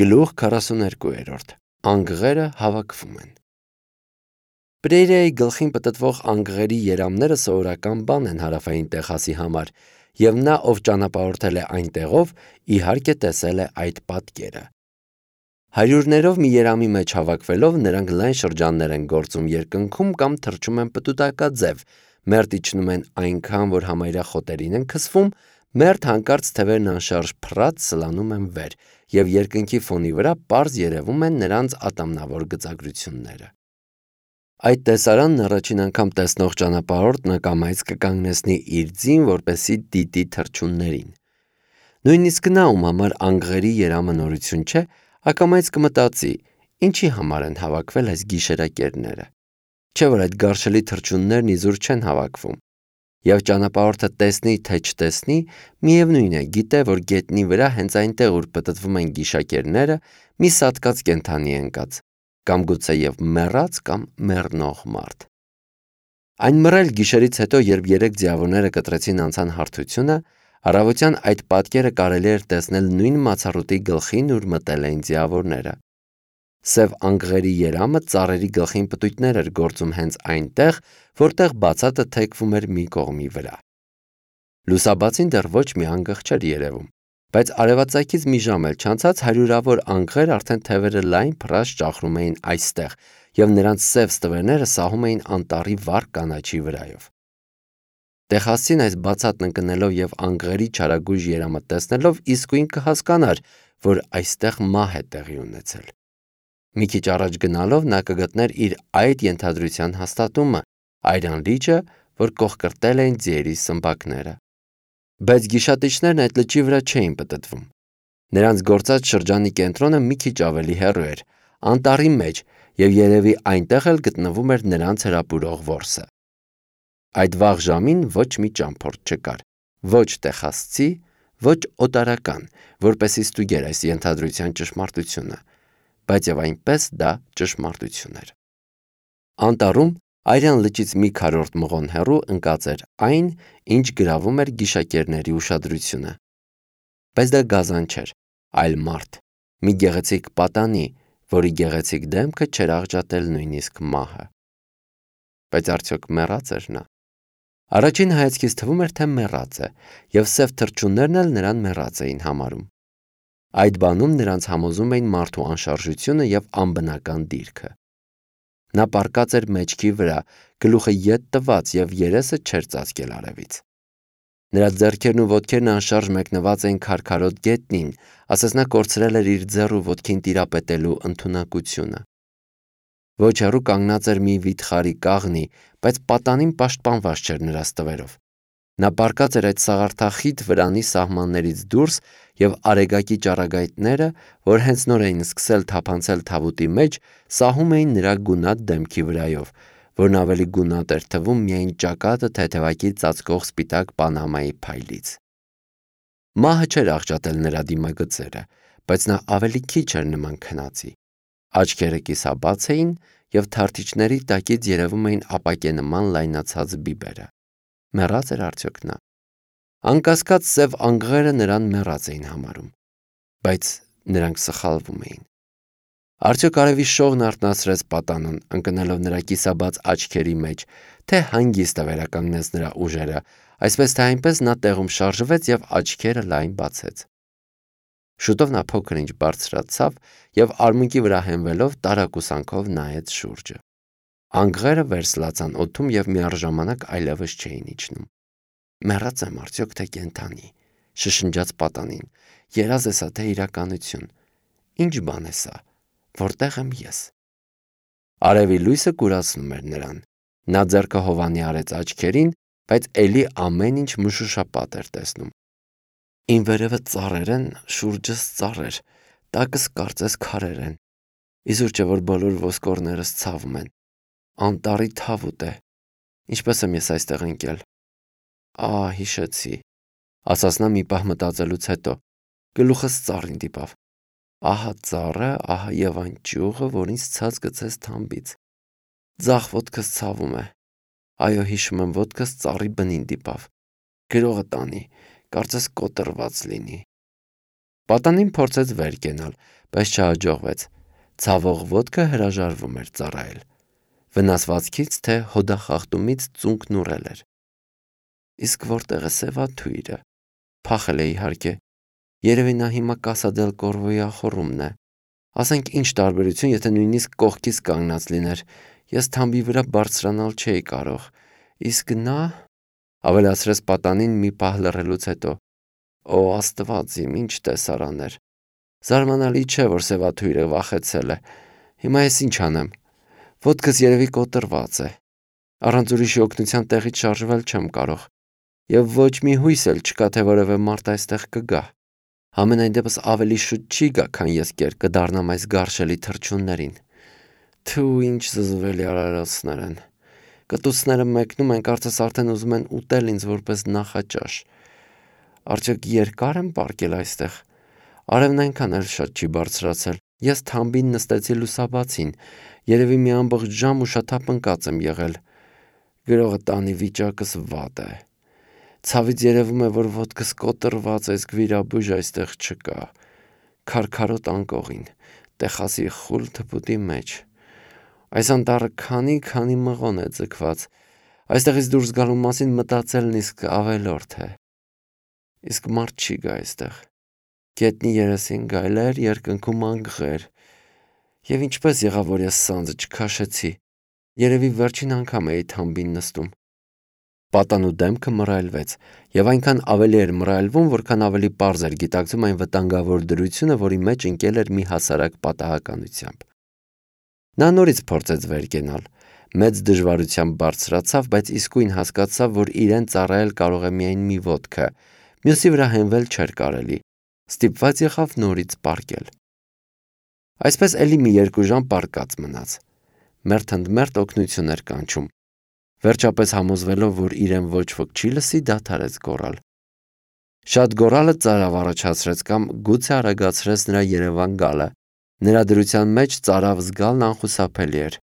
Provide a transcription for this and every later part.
Գլուխ 42 Անգղերը հավաքվում են։ Պրեյրիայի գլխին պտտվող անգղերի երամները սովորական բան են հարավային Տեխասի համար, և նա, ով ճանապարհորդել է այնտեղով, իհարկե տեսել է այդ պատկերը։ Հարյուրներով մի երամի մեջ հավաքվելով նրանք լայն շրջաններ են գործում երկնքում կամ թռչում են պտուտակաձև, մերթ իջնում են այնքան, որ համարյա խոտերին են քսվում, մերթ հանկարծ թևերն անշարժ փռած սլանում են վեր, և երկնքի ֆոնի վրա պարզ երևում են նրանց ատամնավոր գծագրությունները։ Այդ տեսարանն առաջին անգամ տեսնող ճանապարհորդն ակամայից կկանգնեցնի իր ձին, որպեսզի դիտի թռչուններին։ Նույնիսկ նա, ում համար անգղերի երամը նորություն չէ, ակամայից կմտածի. ինչի համար են հավաքվել այս գիշերակերները։ Չէ՞ որ այդ գարշելի թռչուններն իզուր չեն հավաքվում։ Եվ ճանապարհորդը տեսնի, թե չտեսնի, միևնույն է, գիտե, որ գետնի վրա հենց այնտեղ, ուր պտտվում են գիշակերները, մի սատկած կենդանի է ընկած, կամ գուցեև մեռած կամ մեռնող մարդ։ Այն մռայլ գիշերից հետո, երբ 3 ձիավորները կտրեցին անցան հարթությունը, առավոտյան այդ պատկերը կարելի էր տեսնել նույն մացառուտի գլխին, ուր մտել էին ձիավորները։ Սև անգղերի երամը ծառերի գլխին պտույտներ էր գործում հենց այնտեղ, որտեղ բացատը թեքվում էր մի կողմի վրա։ Լուսաբացին դեռ ոչ մի անգղ չէր երևում, բայց արևածագից մի ժամ էլ չանցած հարյուրավոր անգղեր արդեն թևերը լայն փռած ճախրում էին այստեղ, և նրանց սև ստվերները սահում էին անտառի վառ կանաչի վրայով։ Տեխասին այս բացատն ընկնելով և անգղերի չարագույժ երամը տեսնելով իսկույն կհասկանար, որ այստեղ մահ է տեղի ունեցել։ Մի քիչ առաջ գնալով նա կգտներ իր այդ ենթադրության հաստատումը, այրան լիճը, որ կոխկրտել էին ձիերի սմբակները։ Բայց գիշատիչներն այդ լճի վրա չէին պտտվում։ Նրանց գործած շրջանի կենտրոնը մի քիչ ավելի հեռու էր, անտառի մեջ, և երևի այնտեղ էլ գտնվում էր նրանց հրապուրող որսը։ Այդ վաղ ժամին ոչ մի ճամփորդ չկար, ոչ տեխասցի, ոչ օտարական, որպեսզի ստուգեր այս ենթադրության ճշմարտությունը, բայց և այնպես դա ճշմարտություն էր։ Անտառում Արյան լճից մի քառորդ մղոն հեռու ընկած էր այն, ինչ գրավում էր գիշակերների ուշադրությունը։ Բայց դա գազան չէր, այլ մարդ, մի գեղեցիկ պատանի, որի գեղեցիկ դեմքը չէր աղջատել նույնիսկ մահը։ Բայց արդյոք մեռած էր նա։ Առաջին հայացքից թվում էր, թե մեռած է, և սև թռչուններն էլ նրան մեռած էին համարում։ Այդ բանում նրանց համոզում էին մարդու անշարժությունը և անբնական դիրքը։ Նա պառկած էր մեջքի վրա, գլուխը ետ տված և երեսը չէր ծածկել արևից։ Նրա ձեռքերն ու ոտքերն անշարժ մեկնված էին քարքարոտ գետնին, ասես նա կորցրել էր իր ձեռ ու ոտքին տիրապետելու ընդունակությունը։ Ոչ հեռու կանգնած էր մի վիթխարի կաղնի, բայց պատանին պաշտպանված չէր նրա ստվերով։ Նա պառկած էր այդ սաղարթախիտ վրանի սահմաններից դուրս, և արեգակի ճառագայթները, որ հենց նոր էին սկսել թափանցել թավուտի մեջ, սահում էին նրա գունատ դեմքի վրայով, որն ավելի գունատ էր թվում միայն ճակատը թեթևակի ծածկող սպիտակ պանամայի փայլից։ Մահը չէր աղջատել նրա դիմագծերը, բայց նա ավելի քիչ էր նման քնածի։ Աչքերը կիսաբաց էին, և թարթիչների տակից երևում էին ապակենման լայնացած բիբերը։ Մեռած էր արդյոք նա։ Անկասկած սև անգղերը նրան մեռած էին համարում, բայց նրանք սխալվում էին։ Արդյոք արևի շողն արթնացրեց պատանուն, ընկնելով նրա կիսաբաց աչքերի մեջ, թե հանգիստ վերականգնեց նրա ուժերը, այսպես թե այնպես նա տեղում շարժվեց և աչքերը լայն բացեց։ Շուտով նա փոքր-ինչ բարձրացավ և արմունկի վրա հենվելով տարակուսանքով նայեց շուրջը։ Անգղերը վերսլացան օդում և միառժամանակ այլևս չէին իջնում։ Մեռած եմ արդյոք թե կենդանի, շշնջաց պատանին, երազ է սա թե իրականություն, ինչ բան է սա, որտեղ եմ ես։ Արևի լույսը կուրացնում էր նրան։ Նա ձեռքը հովանի արեց աչքերին, բայց էլի ամեն ինչ մշուշապատ էր տեսնում։ Իմ վերևը ծառեր են, շուրջս ծառեր, տակս կարծես քարեր են։ Իզուր չէ, որ բոլոր ոսկորներս ցավում են։ Անտառի թավուտ է։ Ինչպես եմ ես այստեղ ընկել։ Հիշեցի, ասաց նա մի պահ մտածելուց հետո։ Գլուխս ծառին դիպավ։ Ահա ծառը, ահա և այն ճյուղը, որ ինձ ցած գցեց թամբից։ Ձախ ոտքս ցավում է։ Այո, հիշում եմ, ոտքս ծառի բնին դիպավ։ Գրողը տանի, կարծես կոտրված լինի։ Պատանին փորձեց վեր կենալ, բայց չհաջողվեց։ Ցավող ոտքը հրաժարվում էր ծառայել։ Վնասվածքից թե հոդախախտումից ծունկն ուռել էր։ Իսկ որտեղ է Սևաթույրը։ Փախել է իհարկե։ Երևի նա հիմա Կասադել Կորվոյի ախոռումն է։ Ասենք ինչ տարբերություն, եթե նույնիսկ կողքից կանգնած լիներ, ես թամբի վրա բարձրանալ չէի կարող, իսկ նա, ավելացրեց պատանին մի պահ լռելուց հետո, օ Աստված իմ, ինչ տեսարան էր։ Զարմանալի չէ, որ Սևաթույրը վախեցել է։ Հիմա ես ինչ անեմ։ Ոտքս երևի կոտրված է։ Առանց ուրիշի օգնության տեղից շարժվել չեմ կարող։ Եվ ոչ մի հույս էլ չկա, թե որևէ մարդ այստեղ կգա։ Համենայն դեպս ավելի շուտ չի գա, քան ես կեր կդառնամ այս գարշելի թռչուններին։ Թու ինչ զզվելի արարածներ են։ Կտուցները մեկնում են, կարծես արդեն ուզում են ուտել ինձ որպես նախաճաշ։ Արդյոք երկար եմ պառկել այստեղ։ Արևն այնքան էլ շատ չի բարձրացել։ Ես թամբին նստեցի լուսաբացին, երևի մի ամբողջ ժամ ուշաթափ ընկած եմ եղել։ Գրողը տանի վիճակս վատ է։ Ցավից երևում է, որ ոտքս կոտրված է, իսկ վիրաբույժ այստեղ չկա։ Քարքարոտ անկողին, տեխասի խուլ թփուտի մեջ։ Այս անտառը քանի մղոն է ձգված։ Այստեղից դուրս գալու մասին մտածելն իսկ ավելորդ է։ Իսկ մարդ չի գա այստեղ։ Գետնի երեսին գայլեր, երկնքում անգղեր։ Եվ ինչպես եղավ, որ ես սանձը չքաշեցի։ Երևի վերջին անգամ էի թամբին նստում։ Պատանու դեմքը մռայլվեց, եւ այնքան ավելի էր մռայլվում, որքան ավելի պարզ էր գիտակցում այն վտանգավոր դրությունը, որի մեջ ընկել էր մի հասարակ պատահականությամբ։ Նա նորից փորձեց վեր կենալ, մեծ դժվարությամբ բարձրացավ, բայց իսկույն հասկացավ, որ իրեն ծառայել կարող է միայն մի ոտքը, մյուսի վրա հենվել չէր կարելի։ Ստիպված եղավ նորից պառկել։ Այսպես էլի մի 2 ժամ պառկած մնաց։ Մերթ-ընդ-մերթ օգնություն էր կանչում։ Վերջապես համոզվելով, որ իրեն ոչ ոք չի լսի, դադարեց գոռալ։ Շատ գոռալը ծարավ առաջացրեց կամ գուցե արագացրեց նրա Երևան գալը։ Նրա դրության մեջ ծարավ զգալն անխուսափելի էր։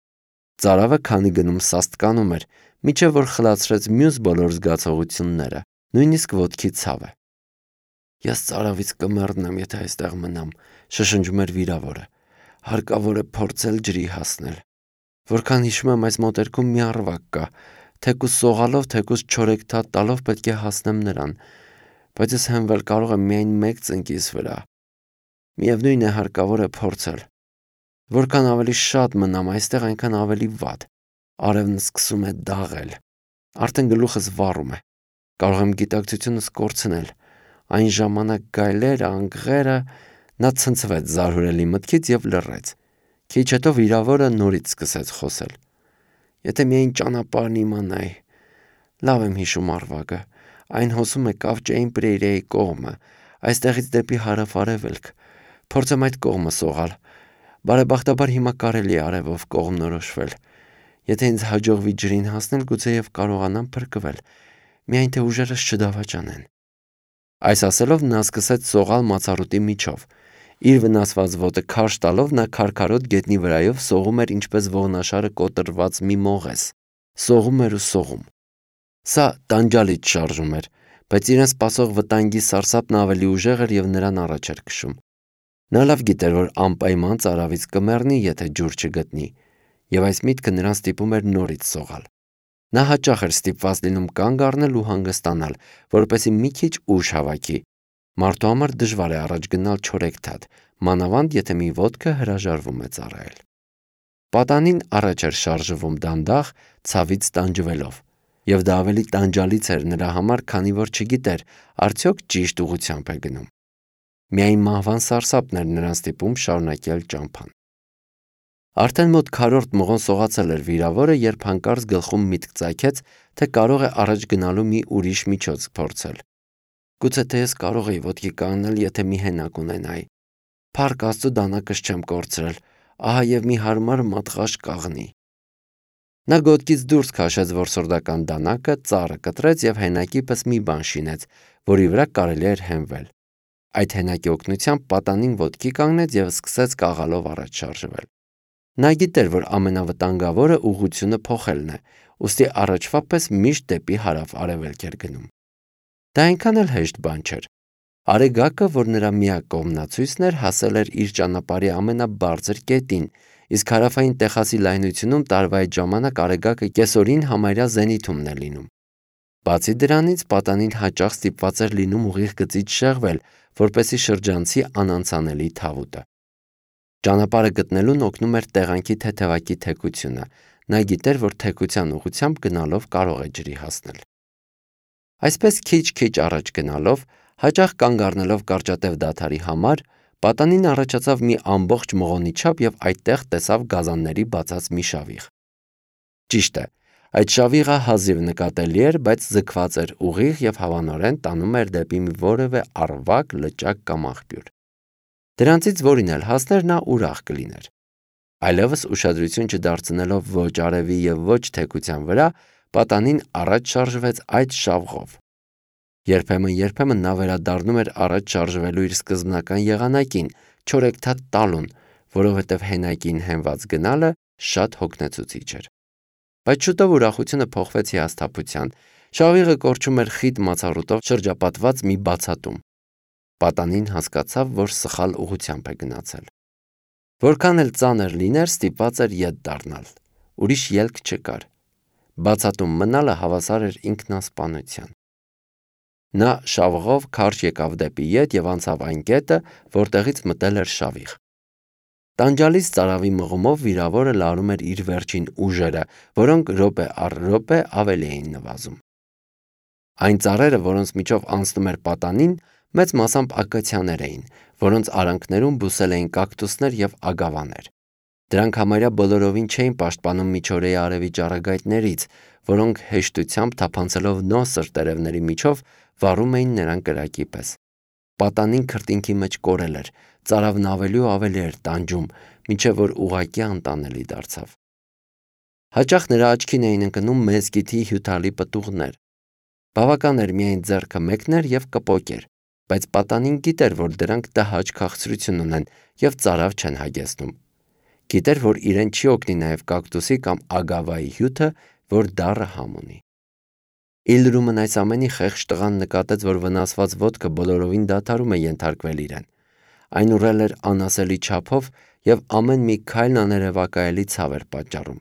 Ծարավը քանի գնում սաստկանում էր, մինչև որ խլացրեց մյուս բոլոր զգացողությունները, նույնիսկ ոտքի ցավը։ Ես ծարավից կմեռնեմ, եթե այստեղ մնամ, շշնջում էր վիրավորը։ Հարկավոր է փորձել ջրի հասնել։ Որքան հիշում եմ, այս մոտերքում մի առվակ կա, թեկուզ սողալով, թեկուզ չորեքթաթ տալով պետք է հասնեմ նրան, բայց ես հենվել կարող եմ միայն մեկ ծնկիս վրա։ Միևնույն է, հարկավոր է փորձել։ Որքան ավելի շատ մնամ այստեղ, այնքան ավելի վատ։ Արևն սկսում է դաղել։ Արդեն գլուխս վառում է։ Կարող եմ գիտակցությունս կորցնել։ Այն ժամանակ գայլերը, անգղերը, նա ցնցվեց զարհուրելի մտքից եւ լռեց։ Քիչ հետո վիրավորը նորից սկսեց խոսել։ Եթե միայն ճանապարհն իմանայի։ Լավ եմ հիշում առվակը։ Այն հոսում է Կավճեին Պրեյրեի կողմը, այստեղից դեպի հարավ-արևելք։ Փորձեմ այդ կողմը սողալ։ Բարեբախտաբար հիմա կարելի է արևով կողմնորոշվել։ Եթե ինձ հաջողվի ջրին հասնել, գուցեև կարողանամ փրկվել, միայն թե ուժերս չդավաճանեն։ Այս ասելով նա սկսեց սողալ մացառուտի միջով։ Իր վնասված ոտը քարշ տալով նա քարքարոտ գետնի վրայով սողում էր ինչպես ողնաշարը կոտրված մի մողես։ Սողում էր ու սողում։ Սա տանջալից շարժում էր, բայց իրեն սպասող վտանգի սարսափն ավելի ուժեղ էր եւ նրան առաջ էր քշում։ Նա լավ գիտեր, որ անպայման ծարավից կմեռնի, եթե ջուր չգտնի, եւ այս միտքը նրան ստիպում էր նորից սողալ։ Նա հաճախ էր ստիպված լինում կանգ առնել ու հանգստանալ, որպեսզի մի քիչ ուժ հավաքի։ Մարդու համար դժվար է առաջ գնալ չորեքթաթ, մանավանդ եթե մի ոտքը հրաժարվում է ծառայել։ Պատանին առաջ էր շարժվում դանդաղ, ցավից տանջվելով, եւ դա ավելի տանջալից էր նրա համար, քանի որ չգիտեր, արդյոք ճիշտ ուղղությամբ է գնում։ Միայն մահվան սարսափն էր նրան ստիպում շարունակել ճամփան։ Արդեն մոտ քառորդ մղոն սողացել էր վիրավորը, երբ հանկարծ գլխում միտք ծագեց, թե կարող է առաջ գնալու մի ուրիշ միջոց փորձել։ Գուցե թե ես կարող էի ոտքի կանգնել, եթե մի հենակ ունենայի։ Փառք Աստծո դանակս չեմ կորցրել, ահա եւ մի հարմար մատղաշ կաղնի։ Նա գոտքից դուրս քաշեց որսորդական դանակը, ծառը կտրեց եւ հենակի պես մի բան շինեց, որի վրա կարելի էր հենվել։ Այդ հենակի օգնությամբ պատանին ոտքի կանգնեց եւ սկսեց կաղալով առաջ շարժվել։ Նա գիտեր, որ ամենավտանգավորը ուղղությունը փոխելն է, ուստի առաջվա պես միշտ դեպի հարավ-արևելք էր գնում։ Դա այնքան էլ հեշտ բան չէր։ Արեգակը, որ նրա միակ կողմնացույցն էր, հասել էր իր ճանապարհի ամենաբարձր կետին, իսկ հարավային Տեխասի լայնությունում տարվա այդ ժամանակ արեգակը կեսօրին համարյա զենիթումն է լինում։ Բացի դրանից, պատանին հաճախ ստիպված էր լինում ուղիղ գծից շեղվել, որպեսզի շրջանցի անանցանելի թավուտը։ Ճանապարհը գտնելուն օգնում էր տեղանքի թեթևակի թեքությունը։ Նա գիտեր, որ թեքության ուղղությամբ գնալով կարող է ջրի հասնել։ Այսպես քիչ-քիչ առաջ գնալով, հաճախ կանգ առնելով կարճատև դադարի համար, պատանին առաջացավ մի ամբողջ մղոնի չափ եւ այդտեղ տեսավ գազանների բացած մի շավիղ։ Ճիշտ է, այդ շավիղը հազիվ նկատելի էր, բայց ձգված էր ուղիղ եւ հավանորեն տանում էր դեպի մի որևէ առվակ, լճակ կամ աղբյուր։ Դրանցից որին էլ հասներ, նա ուրախ կլիներ։ Այլևս ուշադրություն չդարձնելով ոչ արևի եւ ոչ թեքության վրա, պատանին առաջ շարժվեց այդ շավղով։ Երբեմն նա վերադառնում էր առաջ շարժվելու իր սկզբնական եղանակին, չորեքթաթ տալուն, որովհետև հենակին հենված գնալը շատ հոգնեցուցիչ էր։ Բայց շուտով ուրախությունը փոխվեց հիասթափության։ Շավիղը կորչում էր խիտ մացառուտով շրջապատված մի բացատում։ Պատանին հասկացավ, որ սխալ ուղղությամբ է գնացել։ Որքան էլ ծանր լիներ, ստիպված էր ետ դառնալ։ Ուրիշ ելք չկար։ Բացատում մնալը հավասար էր ինքնասպանության։ Նա շավղով քարշ եկավ դեպի ետ եւ անցավ այն կետը, որտեղից մտել էր շավիղ։ Տանջալից ծարավի մղումով վիրավորը լարում էր իր վերջին ուժերը, որոնք րոպե առ րոպե ավելի էին նվազում։ Այն ծառերը, որոնց միջով անցնում էր պատանին, մեծ մասամբ ակացիաներ էին, որոնց արանքներում բուսել էին կակտուսներ եւ ագավաներ։ Դրանք համարյա բոլորովին չէին պաշտպանում միջօրեի արևի ճառագայթներից, որոնք հեշտությամբ թափանցելով նոսր տերևների միջով վառում էին նրան կրակի պես։ Պատանին քրտինքի մեջ կորել էր, ծարավն ավելի ու ավելի էր տանջում, մինչև որ ուղղակի անտանելի դարձավ։ Հաճախ նրա աչքին էին ընկնում մezգիթի հյութալի պտուղներ։ Բավական էր միայն ձեռքը մեկներ եւ կպոկեր, բայց պատանին գիտեր, որ դրանք տհաճ քաղցրություն ունեն եւ ծարավ չեն հագեցնում։ Գիտեր, որ իրեն չի օգնի նաեւ կակտուսի կամ ագավայի հյութը, որ դառը համ ունի։ Իլրումն այս ամենի խեղճ տղան նկատեց, որ վնասված ոտքը բոլորովին դադարում է ենթարկվել իրեն։ Այն ուռել էր անասելի չափով եւ ամեն մի քայլն աներևակայելի ցավ էր պատճառում։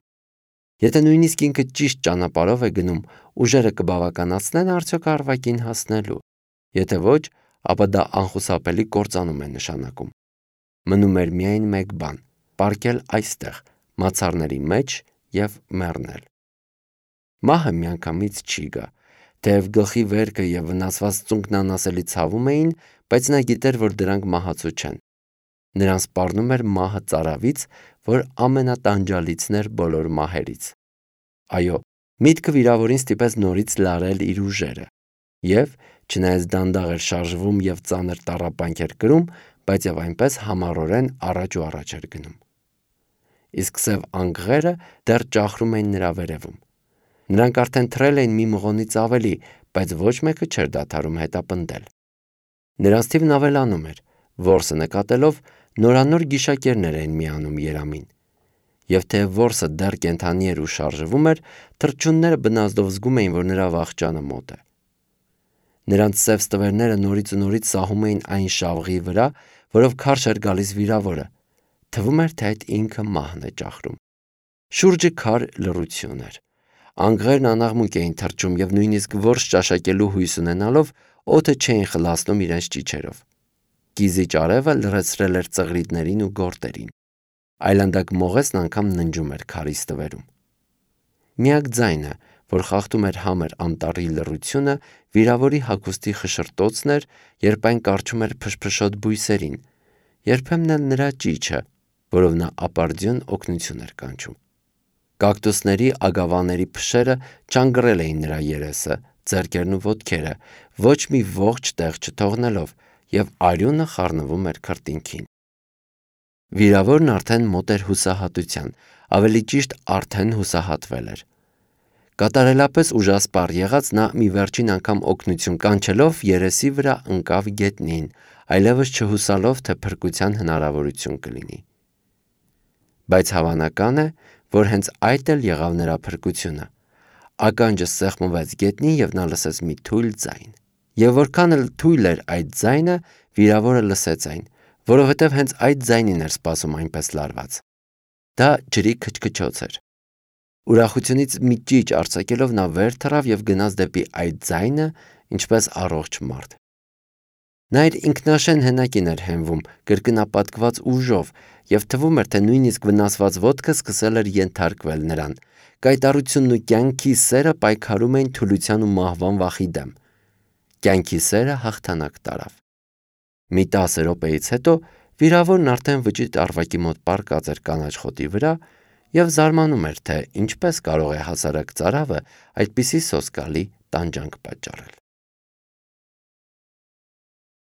Եթե նույնիսկ ինքը ճիշտ ճանապարհով է գնում, ուժերը կբավականացնեն արդյոք առվակին հասնելու։ Եթե ոչ, ապա դա անխուսափելի կործանում է նշանակում։ Մնում էր միայն մեկ բան՝ պառկել այստեղ, մացառների մեջ եւ մեռնել։ Մահը միանգամից չի գա։ Թեև գլխի վերքը եւ վնասված ծունկն անասելի ցավում էին, բայց նա գիտեր, որ դրանք մահացու չեն։ Նրան սպառնում էր մահը ծարավից, որ ամենատանջալիցն էր բոլոր մահերից։ Այո, միտքը վիրավորին ստիպեց նորից լարել իր ուժերը։ Եվ, չնայած դանդաղ էր շարժվում եւ ծանր տառապանք էր կրում, բայց եւ այնպես համառորեն առաջ ու առաջ էր գնում։ Իսկ սև անգղերը դեռ ճախրում էին նրա վերևում։ Նրանք արդեն թռել էին մի մղոնից ավելի, բայց ոչ մեկը չէր դադարում հետապնդել։ Նրանց թիվն ավելանում էր, որսը նկատելով նորանոր գիշակերներ էին միանում երամին։ Եվ թեև որսը դեռ կենդանի էր ու շարժվում էր, թռչունները բնազդով զգում էին, որ նրա վախճանը մոտ է։ Նրանց սև ստվերները նորից ու նորից սահում էին այն շավղի վրա, որով քարշ էր գալիս վիրավորը։ Թվում էր, թե այդ ինքը մահն է ճախրում։ Շուրջը քար լռություն էր։ Անգղերն անաղմուկ էին թռչում եւ նույնիսկ որս ճաշակելու հույս ունենալով օդը չէին խլացնում իրենց ճիչերով։ Կիզիչ արևը լրացրել էր ծղրիդներին ու գորտերին։ Այլանդակ մողեսն անգամ ննջում էր քարի ստվերում։ Միակ ձայնը, որ խախտում էր համր անտառի լռությունը, վիրավորի հագուստի խշշրտոցն էր, երբ այն կառչում էր փշփշոտ բույսերին, երբեմն էլ նրա ճիչը, որով նա ապարդյուն օգնություն էր կանչում։ Կակտուսների ագավաների փշերը չանգռել էին նրա երեսը, ձեռքերն ու ոտքերը, ոչ մի ողջ տեղ չթողնելով, եւ արյունը խառնվում էր քրտինքին։ Վիրավորն արդեն մոտ էր հուսահատության, ավելի ճիշտ արդեն հուսահատվել էր։ Կատարելապես ուժասպառ եղած նա մի վերջին անգամ օգնություն կանչելով երեսի վրա ընկավ գետնին, այլևս չհուսալով, թե փրկության հնարավորություն կլինի։ Բայց հավանական է, որ հենց այդ էլ եղավ նրա փրկությունը։ Ականջը սեղմվեց գետնին եւ նա լսեց մի թույլ ձայն։ Եվ որքան էլ թույլ էր այդ ձայնը, վիրավորը լսեց այն, որովհետև հենց այդ ձայնին էր սպասում այնպես լարված։ Դա ջրի քչքչոց էր։ Ուրախությունից մի ճիչ արձակելով նա վեր թռավ և գնաց դեպի այդ ձայնը, ինչպես առողջ մարդ։ Նա իր ինքնաշեն հենակին էր հենվում, կրկնապատկված ուժով, և թվում էր, թե նույնիսկ վնասված ոտքը սկսել էր ենթարկվել նրան։ Կայտառությունն ու կյանքի սերը պայքարում էին թուլության ու մահվան վախի դեմ։ Կյանքի սերը հաղթանակ տարավ։ Մի 10 րոպեից հետո վիրավորն արդեն վճիտ առվակի մոտ պառկած էր կանաչ խոտի վրա և զարմանում էր, թե ինչպես կարող է հասարակ ծարավը այդպիսի սոսկալի տանջանք պատճառել։